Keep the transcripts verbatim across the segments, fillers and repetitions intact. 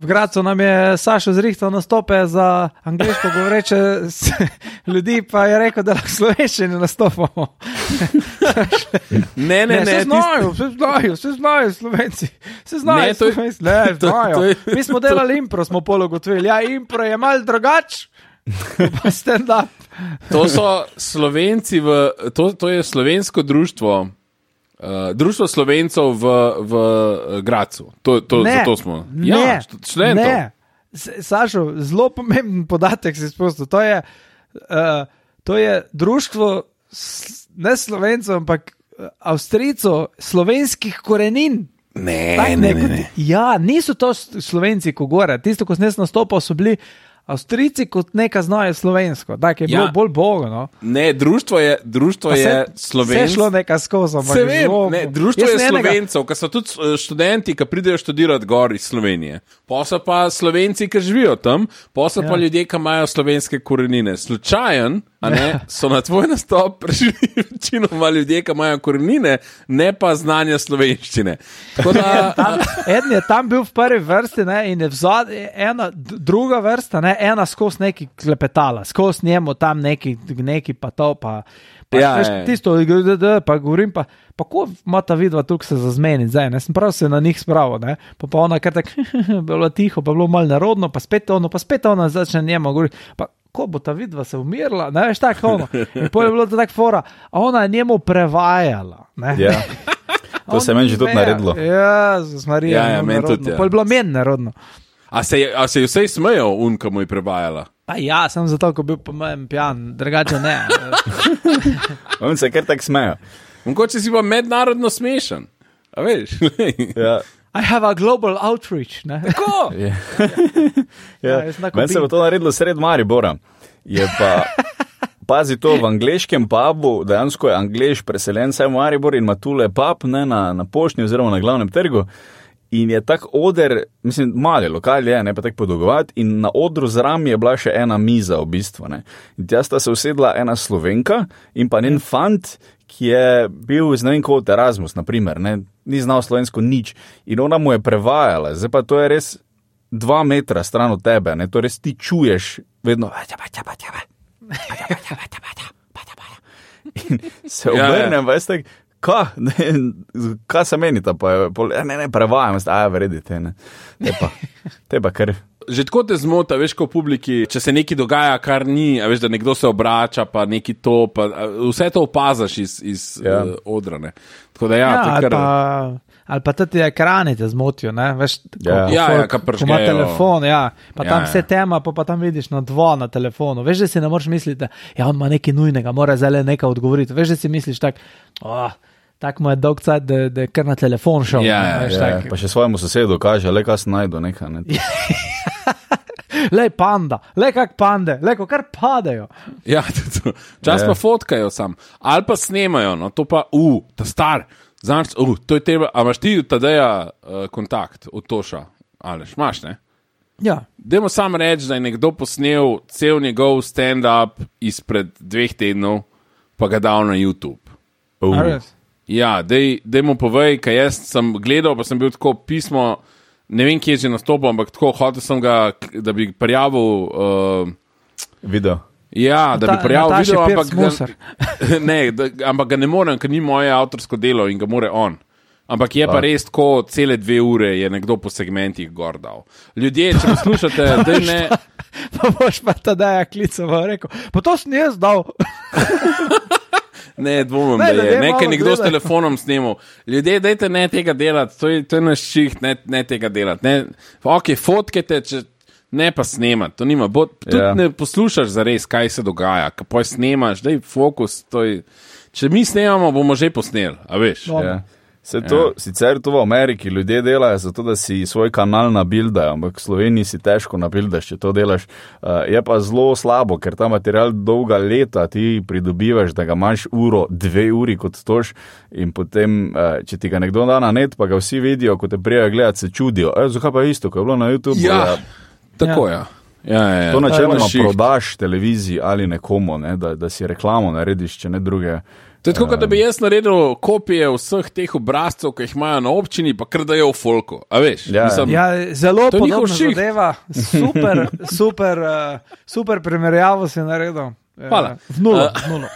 V Gracu nam je Sašo zrihtal nastope za angleško govoreče ljudi, pa je rekel, da lahko slovenščini nastopamo. ne, ne, ne. Vse znajo, vse znajo, vse znajo Slovenci. Vse znajo Slovenci. Ne, znajo. Mi smo delali impro, smo pol ugotovili. Ja, impro je malo drugač, pa stand up. To so Slovenci, v, to, to je slovensko društvo, uh, društvo Slovencov v, v Gracu. To, to, zato smo. Ja, ne, študentov. Ne, Sašo, zelo pomemben podatek si spustil. To je, uh, to je društvo ne Slovencov, ampak Avstrijcev slovenskih korenin. Ne, tak, ne, ne, ne. Ja, niso to Slovenci, ko gore. Tisto, ko sem jaz nastopal, so bili Avstrijci kot neka znajo slovensko. Tak je bilo ja. bolj bogo, no. Ne, društvo je, društvo se, je Slovencev. Vse šlo neka skozi. Se vem, ne, društvo je Slovencev, ki so tudi študenti, ki pridejo študirati gor iz Slovenije. Pa so pa Slovenci, ki živijo tam, pa so ja. pa ljudje, ki imajo slovenske korenine. Slučajen, a ne, so na tvoj nastop prišli večinoma ljudje, ki imajo korenine, ne pa znanja slovenščine. Tako da, tam, eden je tam bil v prvi vrsti, ne, in je vzad, ena, druga vrsta, ne, ena skozi neki klepetala, skozi njemu tam neki, neki pa to, pa, pa ja, veš, tisto, pa govorim, pa, pa ko ima ta vidva tukaj se zazmeniti, zdaj, ne, sem prav se na njih spravo, ne, pa pa ona kar tak, bilo tiho, pa bilo malo narodno, pa spet ono, pa spet ona začne njemu govoriti, pa ko bo ta vidva se umirala, ne veš, tako ono. In potem je bilo to tako fora, a ona je njemu prevajala, ne. Ja. To se je meni že tudi naredilo. Ja, z Marijo. Ja, ja, meni tudi, ja. Potem je bilo meni narodno. A se je, a se je vsej smejal un, ko mu je prevajala? Pa ja, sem zato, ko bil po mojem pijan, drugače ne. On se kar tak smejo. Mogoče si pa mednarodno smešen, a veš? Ja. I have a global outreach, ne? Tako? Ja. Ja. Ja, meni se bo to naredilo sred Maribora. Je pa, pazi to, v angleškem pubu, dejansko je Angleš preseljen saj v Maribor in ima tule pub, ne, na, na Poštni oziroma na glavnem trgu. In je tak oder, mislim, mali lokal je, ne pa tak podolgovat, in na odru zram je bila še ena miza v bistvu, ne. In tja sta se usedla ena Slovenka in pa njen fant, ki je bil z ne vem kot Erasmus, naprimer, ne, ni znal slovensko nič. In ona mu je prevajala, zdaj pa to je res dva metra stran od tebe, ne, to res ti čuješ vedno. In se obrnem, veš tak, ka, ne, ka se menita, pa je, ne, ne, prevajam, a ja, vredite, ne, te pa, te pa kar. Že tako te zmota, veš, ko v publiki, če se nekaj dogaja, kar ni, a veš, da nekdo se obrača, pa neki to, pa vse to opazaš iz, iz ja. uh, odra, ne. Tako da ja, ja to kar... ali pa, ali pa tudi ekrani te zmotijo, ne, veš, ko, ja. ko, Ja, folk, ja, ka ko ima telefon, ja, pa Ja, tam ja. vse tema, pa, pa tam vidiš na dva na telefonu, veš, da si ne moreš misliti, da ja, on ima nekaj nujnega, mora zdaj nekaj odgovoriti, veš, da si misliš tak, oh, tako mu je dolg cajt, da, da je kar na telefon šel. Ja, ne, veš, Ja, tak. pa še svojemu sosedu kaže, le kaj se najdu, nekaj, ne. Lej panda, lej kak pande, lej ko kar padejo. Ja, to, čas Ja. pa fotkajo sam, ali pa snemajo, no, to pa, uh, ta star, znaš, uh, to je teba, a imaš ti tadeja uh, kontakt od Toša, Aleš, imaš, ne? Ja, Dajmo sam reči, da je nekdo posnel cel njegov stand-up izpred dveh tednov, pa ga dal na YouTube. Uh. a res. Ja, dej, dej mu povej, kaj jaz sem gledal, pa sem bil tako pismo, ne vem, kje je že nastopil, ampak tako hotel sem ga, da bi prijavil, uh, Video. ja, da Ta- bi prijavil Nataši video, Pirc ampak Musar. ga, ne, da, ampak ga ne morem, ker ni moje avtorsko delo in ga more on. Ampak je pa, pa res tako, cele dve ure je nekdo po segmentih gor dal. Ljudje, če poslušate, da ne... Pa boš pa tadej klical, rekel, pa to sem jaz dal. Ne, dvomim, Ne, da ljudje je. Nekaj malo nekdo s gledajo. telefonom snemal. Ljudje, dajte ne tega delati, to je, to je naš šiht, ne, ne tega delati. Ne, ok, fotkajte, če, ne pa snemati, to nima. Bo, tudi Ja. ne poslušaš zares, kaj se dogaja, kaj snemaš, daj fokus. To je, če mi snemamo, bomo že posneli, a veš. No. Ja. Se to, ja. Sicer to v Ameriki ljudje delajo zato, da si svoj kanal nabildajo, ampak v Sloveniji si težko nabildaš, če to delaš. Uh, je pa zelo slabo, ker ta material dolga leta ti pridobivaš, da ga imaš uro, dve uri kot toš in potem, uh, če ti ga nekdo da na net, pa ga vsi vidijo, ko te prijajo gledati, se čudijo. E, zakaj pa isto, ko je bilo na YouTube? Ja, tako ja. Ja, ja, ja. To načeloma je šiht. prodaš televiziji ali nekomu, ne, da, da si reklamo narediš, če ne druge. To je tako, um, da bi jaz naredil kopije vseh teh obrazcev, ki jih imajo na občini, pa kar dajo v folku. A veš? Ja, Mislim, ja, zelo podobno zadeva. Super, super, uh, super primerjavo si naredil. Hvala. V nulo, uh, v nulo.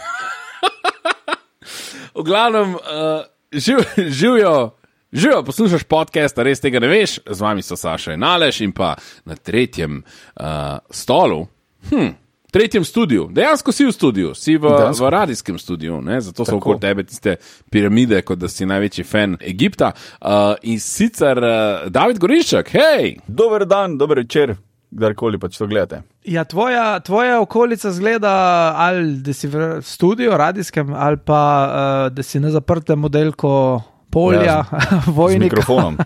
V glavnem, uh, živ, živijo, živijo, poslušaš podcast, res tega ne veš, z vami so Saša in Aleš in pa na tretjem uh, stolu, hm, tretjem studiu, dejansko si v studiu, si v, v radijskem studiu, ne? Zato so okoli tebe tiste piramide, kot da si največji fan Egipta. Uh, in sicer uh, David Goriščak, hej! Dober dan, dober večer, kdarkoli pač to gledate. Ja, tvoja, tvoja okolica zgleda, ali da si v studiu radijskem, ali pa uh, da si na zaprtem modelko polja, ja, vojnika. Z mikrofonom.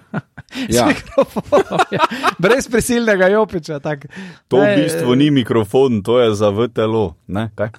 Ja. Mikrofonom, ja. Brez prisilnega jopiča. Tak. To v bistvu ni mikrofon, to je za V T L O. Ne, kaj?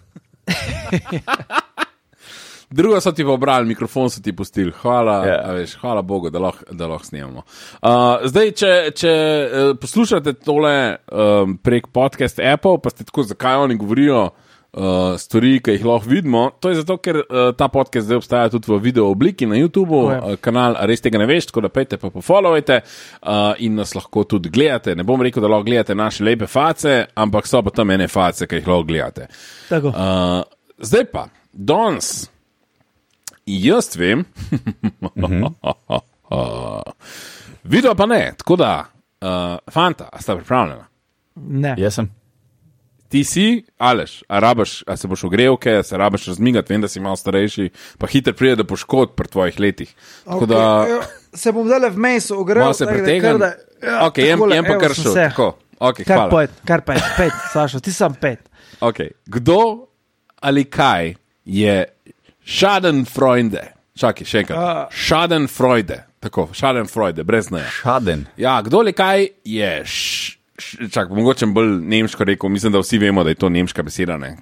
Drugo so ti pobrali, mikrofon so ti pustili. Hvala, yeah. a veš, hvala Bogu, da lahko lah snemamo. Uh, zdaj, če, če uh, poslušate tole um, prek podcast Apple, pa ste tako, zakaj oni govorijo Uh, stvari, ki jih lahko vidimo, to je zato, ker uh, ta podcast zdaj obstaja tudi v video obliki na YouTubeu, uh, kanal res tega ne veš, tako da pejte pa pofollowajte uh, in nas lahko tudi gledate. Ne bom rekel, da lahko gledate naše lepe face, ampak so pa tam ene face, ki jih lahko gledate. Tako. Uh, zdaj pa, danes, jaz vem, video pa ne, tako da, uh, fanta, a sta pripravljena? Ne. Jaz sem. Ti si, Aleš, a rabaš, a se boš ogrevke, a se rabaš razmigati, vem, da si malo starejši, pa hitro pride do poškodb pri tvojih letih. Tako okay, da... Se bom zdaj vmes ogrel. Malo se pretegam. Ja, ok, jem, jem pa kar šel. Tako, ok, kar hvala. Pet, kar pet, pet, Sašo, ti sam pet. Ok, kdo ali kaj je Schadenfreude? Čakaj, še enkrat. Uh, Schadenfreude. Tako, Schadenfreude, brez neja. Schaden. Ja, kdo ali kaj je š... Čak, mogoče bolj nemško rekel, mislim, da vsi vemo, da je to nemška beseda, ne?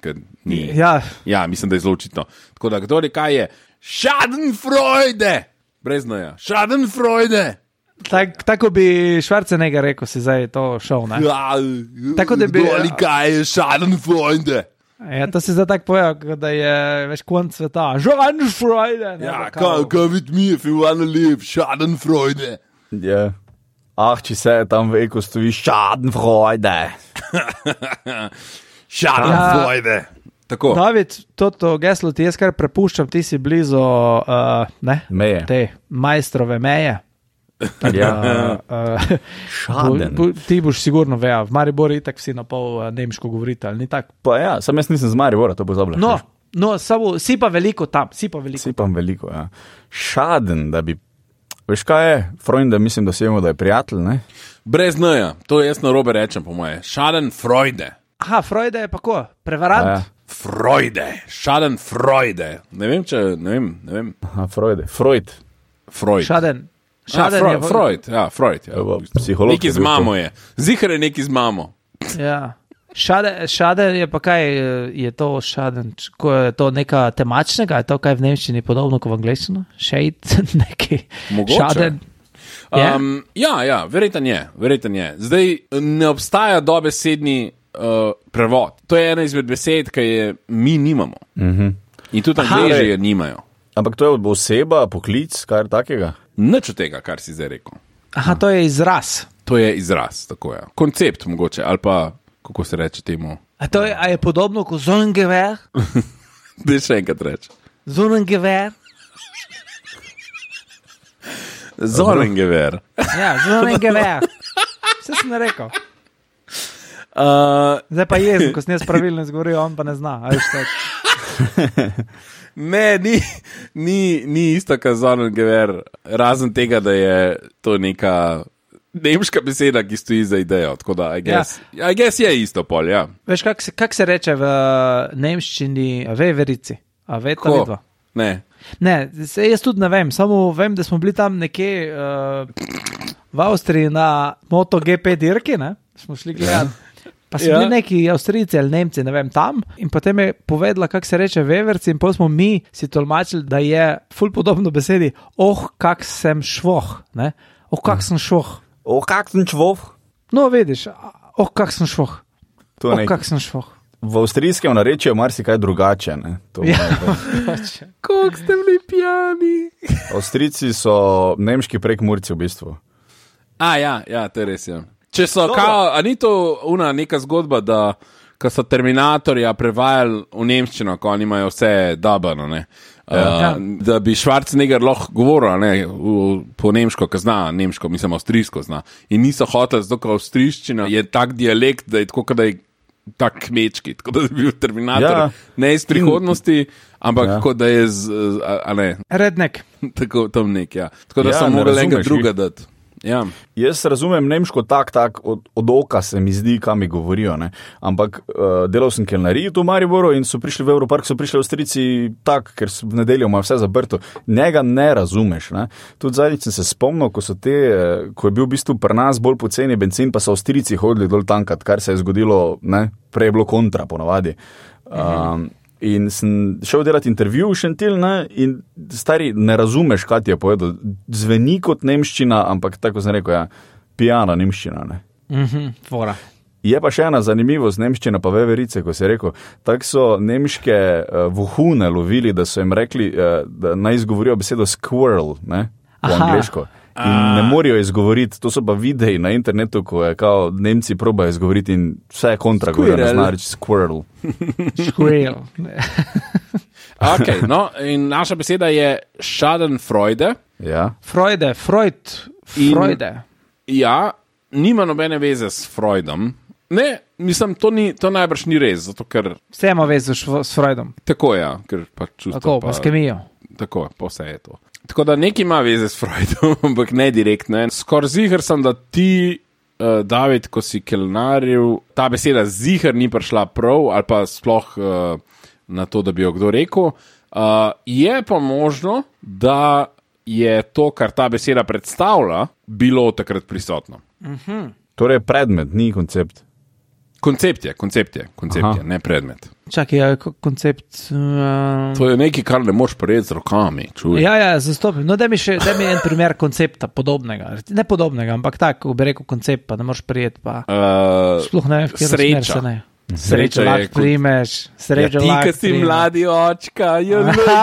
Ni, ja. ja, mislim, da je zelo očitno. Tako da, kdo ali kaj je Schadenfreude, brez noja, Schadenfreude. Tak, tako bi Schwarzenegger rekel, si zdaj to šel, ne? Ja, tako da bi... Kdo ali kaj je Schadenfreude. Ja, to si zdaj tako povedal, da je več konc sveta. Schadenfreude. Ja, come, come with me if you wanna live, Schadenfreude. Ja. Yeah. Ah, če se tam v eko stoji Schadenfreude. Schadenfreude. Ja, tako. David, toto geslo ti jaz kar prepuščam, ti si blizu uh, ne? Meje. Te majstrove meje. Ja. Uh, Schaden. Bu, bu, ti boš sigurno veja, v Mariboru itak vsi na pol uh, nemško govorite, ali ni tak? Pa ja, sam jaz nisem z Maribora, to bo zabla. No, no samo, si pa veliko tam, si pa veliko. Si pa veliko, ja. Schaden, da bi veš kaj je? Freunde, mislim, da si vemo, da je prijatelj, ne? Brez neja, to jaz na robe rečem po moje. Schadenfreude. Aha, Freude je pa ko? Prevarant? Ja. Freude. Schadenfreude. Ne vem, če, ne vem, ne vem. Aha, Freude. Freud. Freud. Schaden. Schaden ah, Freud, je... Freud, ja, Freud. Ja. Psiholog. Neki z mamo je. Zihar je neki z mamo. Ja. Šaden, šaden je pa kaj, je to šaden, ko je to neka temačnega, je to kaj v nemščini podobno kot v angleščini? Shade, neki Mogoče. Šaden. Um, ja, ja, verjetno je, verjetno je. Zdaj ne obstaja dobesedni uh, prevod. To je ena izmed besed, ki je mi nimamo. Uh-huh. In tudi Angleži je nimajo. Ampak to je oseba, poklic, kaj takega? Nič od tega, kar si zdaj rekel. Aha, to je izraz. To je izraz, tako je. Koncept mogoče, ali pa kako se reče temu. A to je, a je podobno kot Zonengewehr? Dej še enkrat reči. Zonengewehr? Zonengewehr. Ja, Zonengewehr. Vse sem rekel. Uh, Zdaj pa jezen, ko sem jaz pravilno izgovoril, on pa ne zna. Ne, ni, ni, ni isto kot Zonengewehr, razen tega, da je to neka nemška beseda, ki stoji za idejo, tako da I guess, ja. I guess je isto pol, ja. Veš, kak se, kak se reče v nemščini veverici? A ve ta vidva? Ne. Ne, se, jaz tudi ne vem, samo vem, da smo bili tam nekje uh, v Avstriji na MotoGP dirki, ne, smo šli gledati. Pa so ja. bili neki Avstrijci ali Nemci, ne vem, tam in potem je povedala, kak se reče veverci in potem smo mi si tolmačili, da je ful podobno besedi, oh, kak sem švoh, ne, oh, kak sem švoh. Oh, kak sem švoh? No, vidiš, oh, kak sem švoh. To oh, kak sem švoh. v avstrijskem narečju je marsikaj drugače. Ne? To Ja, Kako ste bili pijani? Avstrijci so nemški prekmurci v bistvu. A, ja, ja, to je res, ja. Če so, Dobro. kao, a ni to una neka zgodba, da ko so Terminatorja prevajali v nemščino, ko oni imajo vse dabano, ne? Ja. Uh, da bi Schwarzenegger lahko govoril, ne, v, po nemško, ko zna, nemško, mislim, avstrijsko zna. In niso hoteli, zato ker avstrijščina je tak dialekt, da je tako, da je tak kmečki, tako da bi bil Terminator, Ja. ne iz prihodnosti, ampak Ja. kot da je z, a, a ne, rednek. tako tam nek, ja. Tako da Ja, so ne mogli enega razumeš druga jih. dati. Ja. Jaz razumem nemško tak, tak, od, od oka se mi zdi, kam mi govorijo, ne? Ampak uh, delal sem kelnariji tu v Mariboru in so prišli v Evropark, so prišli Avstrijci tak, ker so v nedeljo ima vse zaprto. Njega ne razumeš, ne? Tudi zadnjič sem se spomnil, ko so te, eh, ko je bil v bistvu pri nas bolj poceni bencin, pa so Avstrijci hodili dol tankat, kar se je zgodilo, ne? Prej je bilo kontra ponavadi. Um, In sem šel delati intervju v Šentil, ne, in stari, ne razumeš, kaj ti je povedal. Zveni kot nemščina, ampak tako sem rekel, ja, pijana nemščina. Ne. Mhm, fora. Je pa še ena zanimivost nemščina, pa veverice, ko si rekel. Tako so nemške uh, vohune lovili, da so jim rekli, uh, da naj izgovorijo besedo squirrel, ne, po Aha. angleško. In ne morajo izgovoriti, to so pa videi na internetu, ko je kao Nemci probajo izgovoriti in vse je kontra, govorijo, ne zna reči squirrel. Škvril. Okay, no, in naša beseda je Schadenfreude. Ja. Freude, Freud, In- Freude. Ja, nima nobene veze s Freudom. Ne, mislim, to, ni, to najbrž ni res, zato ker Vse ima vezo š- s Freudom. tako je, ja, ker pa čustvo. Tako, pa s kemijo. Tako, pa vse je to. Tako da nekaj ima veze s Freudom, ampak ne direktno. Skoraj ziher sem, da ti, uh, David, ko si kelnaril, ta beseda ziher ni prišla prav, ali pa sploh uh, na to, da bi jo kdo rekel. Uh, je pa možno, da je to, kar ta beseda predstavlja, bilo takrat prisotno. Torej predmet, ni koncept. Koncept je, koncept je, koncept Aha. je, ne predmet. Čakaj, je ko- koncept. Uh, To je nekaj, kar ne moš prijeti z rokami. Čuj. ja, ja, zastopim. No, da mi še da mi en primer koncepta podobnega. Ne podobnega, ampak tako, bi rekel koncept, pa ne moreš prijeti. Pa. Uh, Sploh ne, v katero smer sreča. se ne. Sreča Sreča je lahko kot- primeš, sreča Ja, ti, lahko ki si primeš. mladi očka, je lega,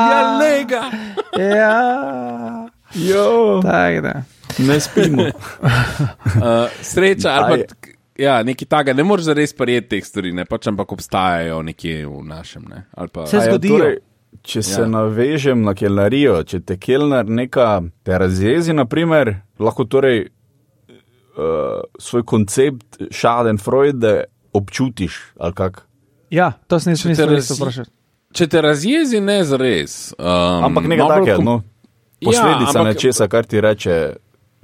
je lega. Ja, Jo, tako da. ne spimo. Uh, sreča, ali Aj. pa ja, nekaj takega, ne moreš zares prijeti teh stvari, ne pač, ampak obstajajo nekje v našem. Ne? Ali pa, Se A ja, zgodijo. torej, če se Ja. navežem na kelnarijo, če te kelnar neka te razjezi, naprimer, lahko torej uh, svoj koncept Schadenfreude občutiš, ali kak. Ja, to sem Če te smislil, da razi- se vprašati. če te razjezi, ne zares. Um, Ampak nekaj malo bolj takega, kom- no, posledica Ja, ampak- nečesa, kar ti reče.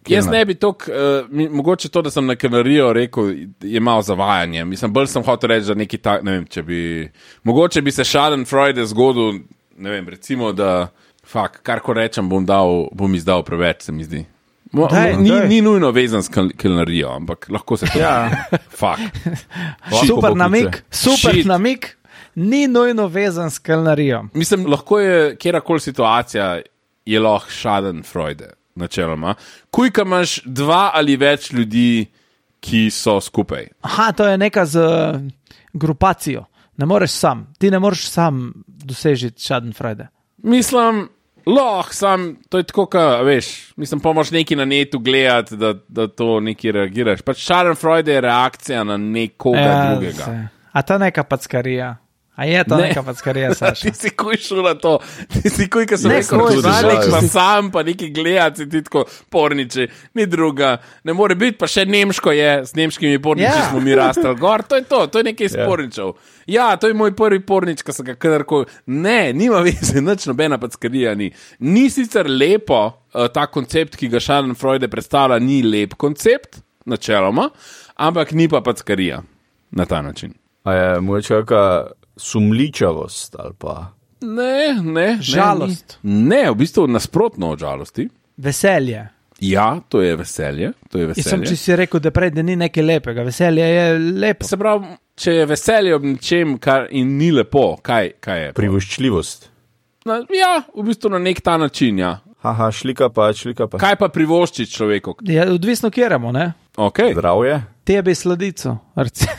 Jaz kelnar. ne bi to, uh, mogoče to, da sem na kelnarijo rekel, je malo zavajanje. Mislim, bolj sem hotel reči, da nekaj tak, ne vem, če bi, mogoče bi se Schadenfreude zgodil, ne vem, recimo, da, fak, kar ko rečem, bom, dal, bom izdal preveč, se mi zdi. Mo, Daj, mo, ni, daj. ni nujno vezan s kel- kelnarijo, ampak lahko se to. Ja. Fak. Lahko Super pokliče. namik, super Shit. namik, ni nujno vezan s kelnarijo. Mislim, lahko je kjerkoli situacija, je lahko Schadenfreude, načeloma. Kuj, ka imaš dva ali več ljudi, ki so skupaj. Aha, to je neka z uh, grupacijo. Ne moreš sam, ti ne moreš sam dosežiti Schadenfreude. Mislim, lahko sam, to je tako, ka, veš, mislim, pomoč neki na netu gledati, da, da to neki reagiraš. Pač Schadenfreude je reakcija na nekoga ja, drugega. se- A to je neka packarija. A je to Ne. ne. neka packarija, Saša? Ti si kuj šel na to, ti si kuj, ki sem Ne, rekel, kuj, da znaš, nek pa si- sam, pa neki gledati, ti tako porniči, ni druga, ne more biti, pa še nemško je, s nemškimi porniči Ja. yeah. smo mi rastali gor, to je to, to je nekaj Ja. sporničev. Ja, to je moj prvi pornič, ki sem ga kadarkoli, ne, nima veze, nič nobena packarija ni. Ni sicer lepo, uh, ta koncept, ki ga Schadenfreude predstavlja, ni lep koncept, načeloma, ampak ni pa packarija na ta način. A je mogoče kakšna sumličavost ali pa. Ne, ne. Žalost. Ne, ni. ne, v bistvu nasprotno od žalosti. Veselje. Ja, to je veselje. To je Jaz sem, veselje. če si rekel, da prej da ni nekaj lepega. Veselje je lepo. Se pravi, če je veselje ob nečem, kar in ni lepo, kaj, kaj je? Privoščljivost. Na, ja, v bistvu na nek ta način. Ja. Haha, šlika pa, šlika pa. Kaj pa privošči človeku? Ja, odvisno, kjeramo, ne? Okay. Zdravje. Tebi sladico. recimo.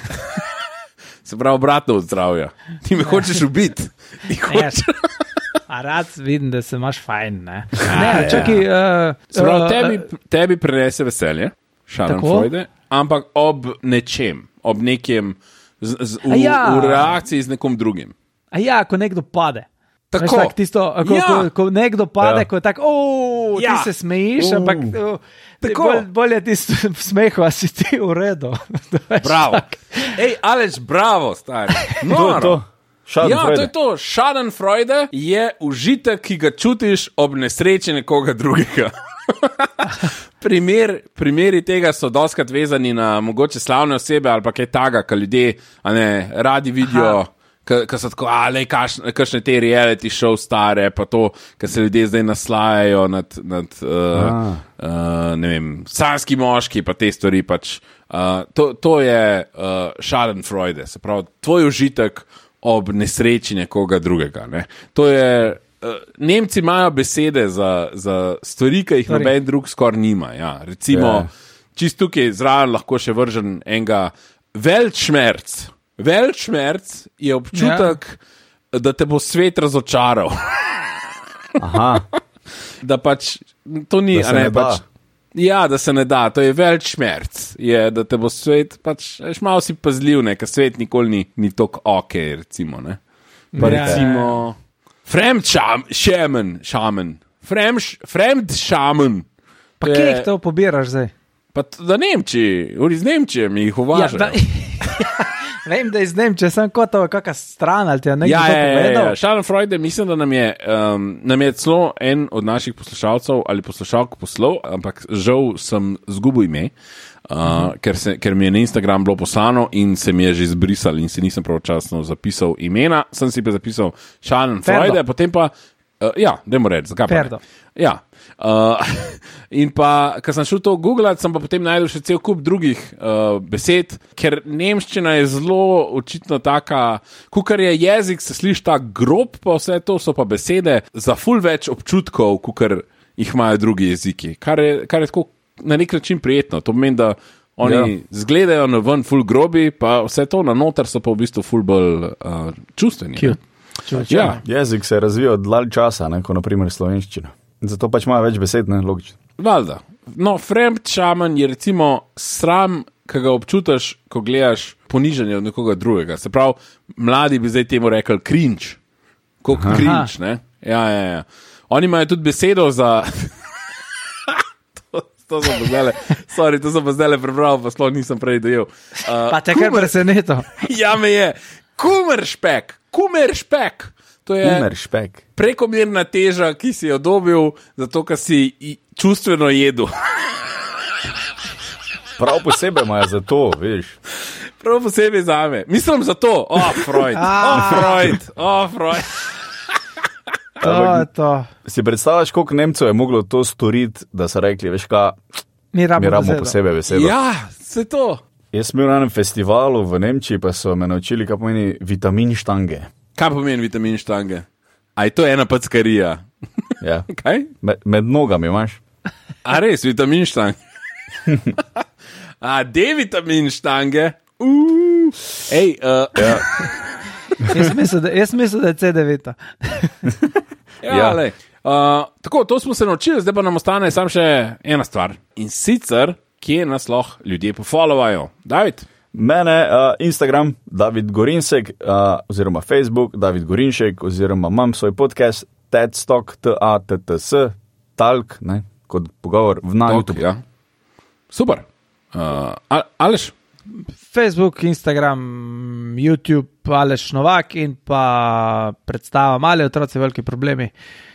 Se pravi, obratno od zdravja. Ti me hočeš ubiti. Hočeš... A rad vidim, da se imaš fajn, ne? Ne, čakaj... Uh, Se pravi, uh, tebi, tebi prinese veselje, Schadenfreude, ampak ob nečem, ob nekem, z, z, v, ja. v reakciji z nekom drugim. A ja, ko nekdo pade. Tako. Veš, tak, tisto, ko, Ja. ko, ko nekdo pade, Ja. ko je tako, ooo, Ja. ti se smejiš, Uh. ampak uh, Tako. bolj, bolje ti v smehu, a si ti v redu. Veš, Bravo. tak. Ej, Aleš, bravo, stari. To je Noro. to. Ja, to je to. Schadenfreude je užitek, ki ga čutiš ob nesreči nekoga drugega. Primer, primeri tega so doskrat vezani na mogoče slavne osebe ali pa kaj taga, ki ljudje a ne, radi vidijo, ki so tako, ali kakšne te reality show stare, pa to, ki se ljudje zdaj naslajajo nad, nad uh, uh, ne vem, sanski moški, pa te stvari pač. Uh, to, to je uh, Schadenfreude, se pravi, tvoj užitek ob nesreči nekoga drugega. Ne? To je, uh, Nemci imajo besede za, za stvari, ki jih noben drug skoraj nima. Ja. Recimo, Ja. čist tukaj zraven lahko še vržen enega Weltschmerz. Weltschmerz je občutek, ja. da te bo svet razočaral. Aha, Da pač to ni, Da se a ne, ne da. pač. Ja, da se ne da, to je Weltschmerz, je, da te bo svet, pač, veš, malo si pazljiv, ne, ker svet nikoli ni, ni tako ok, recimo, ne. Pa Ja, recimo, Fremdschämen, šamen, Fremdschämen. Pa kje jih to pobiraš zdaj? Pa t- da Nemčiji, uri z Nemčije mi jih uvažajo. da, vem, da iz Nemčije, sem kot to, kakšna stran ali ti je nekdo Ja, to ja, ja, povedal. ja. Schadenfreude, mislim, da nam je, um, nam je celo en od naših poslušalcev ali poslušalk poslal, ampak žal sem zgubil ime, uh, uh-huh. ker, se, ker mi je na Instagram bilo poslano in se mi je že izbrisal in si nisem pravočasno zapisal imena, sem si pa zapisal Schadenfreude, potem pa, uh, ja, dajmo reči, zakaj pa ne? Ferdo. Ja. Uh, in pa, ko sem šel to googlati, sem pa potem najdel še cel kup drugih uh, besed, ker nemščina je zelo očitno taka, kukar je jezik, se sliši ta grob, pa vse to so pa besede za ful več občutkov, kukar jih imajo drugi jeziki, kar je, kar je tako na nek način prijetno. To pomeni, da oni ja. zgledajo na ven ful grobi, pa vse to na noter so pa v bistvu ful bolj uh, čustveni. ne. Cute. Ja. jezik se je razvijal dalj časa, ne, kot naprimer slovenščina. Zato pač imajo več besed, ne, logično. Valjda. No, Fremdschämen je recimo sram, ki ga občutiš, ko gledaš ponižanje od nekoga drugega. Se pravi, mladi bi zdaj temu rekli cringe. Kot cringe, ne? Ja, ja, ja. Oni imajo tudi besedo za... to, to sem pa zdajle, sorry, to sem pa zdajle prebral, pa sploh nisem prej dojel. Uh, Pa te kar preseneto. ja, me je. Kumeršpek, kumeršpek. To je Umer špek. prekomerna teža, ki si jo dobil, zato ker si i- čustveno jedel. Prav posebej imajo za to, veš. Prav posebej za me. Mislim za to. O, oh, Freud. O, oh, Freud. O, oh, Freud. To je to. Si predstavljaš, koliko Nemcev je moglo to storiti, da so rekli, veš kaj, Mi mi rabimo besedo. posebej besedo. Ja, se to. Jaz sem bil na enem festivalu v Nemčiji, pa so me naučili, kaj pomeni vitamin štange. Kaj pomeni vitamin štange? A je to ena packarija? Ja. Kaj? Med, med nogami imaš. A res, vitamin štange. A, D-vitamin štange. Uh. Ej, uh, Ja. Jaz mislim, da, jaz mislim, da je C devet. ja, Ja. lej. Uh, tako, to smo se naučili, zdaj pa nam ostane samo še ena stvar. In sicer, kje nas lahko ljudje pofollowajo. David? Mene, uh, Instagram, David Gorinsek, uh, oziroma Facebook, David Gorinšek, oziroma imam svoj podcast, TEDstock, T A T T S, Talk, ne, kot pogovor v na YouTube. Ja. Super. Uh, Al- Aleš? Facebook, Instagram, YouTube, Aleš Novak in pa predstava Mali otroci, veliki problemi.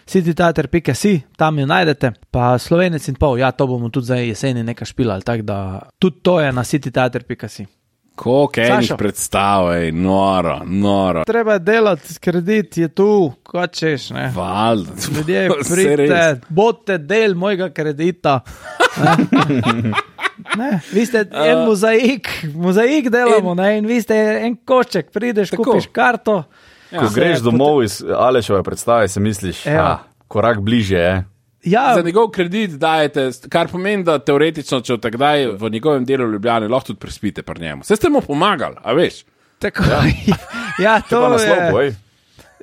cityteater pika si, tam jo najdete, pa Slovenec in pol, ja, to bomo tudi zdaj jeseni nekaj špilali, tako da tudi to je na cityteater pika si. Koliko enih Sašo. predstav, ej, noro, noro. Treba je delati, kredit je tu, kot češ, ne. Valjda. Ljudje, Vse pridite, res. bodite del mojega kredita. Ne? Ne, vi ste en mozaik, mozaik delamo, ne, in vi ste en košček, prideš, Tako. kupiš karto. Ko Se greš potem- domov iz Alešove predstave, si misliš, Ja. ah, korak bliže je. Ja, Za njegov kredit dajete, kar pomeni, da teoretično, če takdaj v njegovem delu Ljubljane lahko tudi prespite pri njemu. Vse ste mu pomagali, a veš? Tako, ja. ja, to je. Naslov, boj.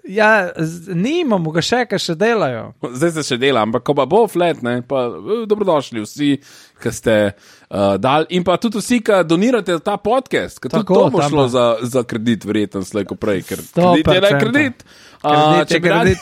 Ja, nimamo ga še, kaj še delajo. Zdaj se še dela, ampak ko pa bo flat, ne, pa dobrodošli vsi, ki ste uh, dali in pa tudi vsi, ki donirate ta podcast, ker tudi to bo šlo za, za kredit, verjetno slejko prej, ker kredit je ne kredit. Uh, če bi radi...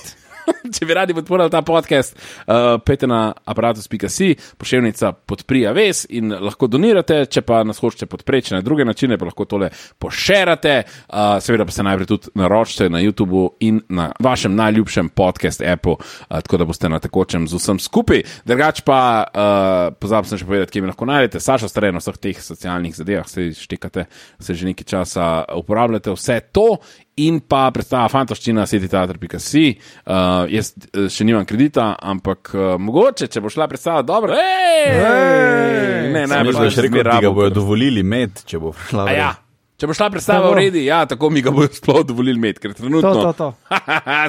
Če bi radi podporili ta podcast, uh, pejte na aparatus pika si, pošiljnica podpri A V E S in lahko donirate, če pa nas hočete podpreči na druge načine, pa lahko tole pošerate, uh, seveda pa se najprej tudi naročite na YouTubeu in na vašem najljubšem podcast appu, uh, tako da boste na tekočem z vsem skupaj. Drugač pa, uh, pozabil sem še povedati, kje mi lahko najdete, Saša Stare na vseh teh socialnih zadevah, se štekate, se že nekaj časa uporabljate vse to. In pa predstava Fantoščina, setiteater pika si. Uh, jaz še nimam kredita, ampak uh, mogoče, če bo šla predstava dobro. Ej! Ej! Ne, najbolj še rekel, da ga bojo dovolili med, če bo šla v ja. Če bo šla predstava v redi, ja, tako mi ga bojo sploh dovolili med, ker trenutno... To, to, to.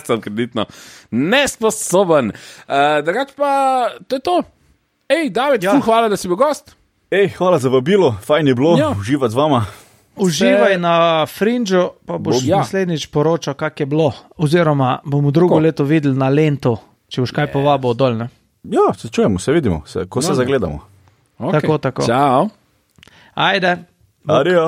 sem kreditno nesposoben. Uh, drugač pa, to je to. Ej, David, ja. ful hvala, da si bil gost. Ej, hvala za vabilo, fajn je bilo ja. uživati z vama. Uživaj na Fringeu, pa boš ja. naslednjič poročal, kak je bilo. Oziroma bomo drugo Ko? leto videli na Lento, če boš kaj yes. povabo dol, ne? Ja, se čujemo, se vidimo, se, ko no. se zagledamo. Okay. Tako, tako. Čau. Ajde. Adijo.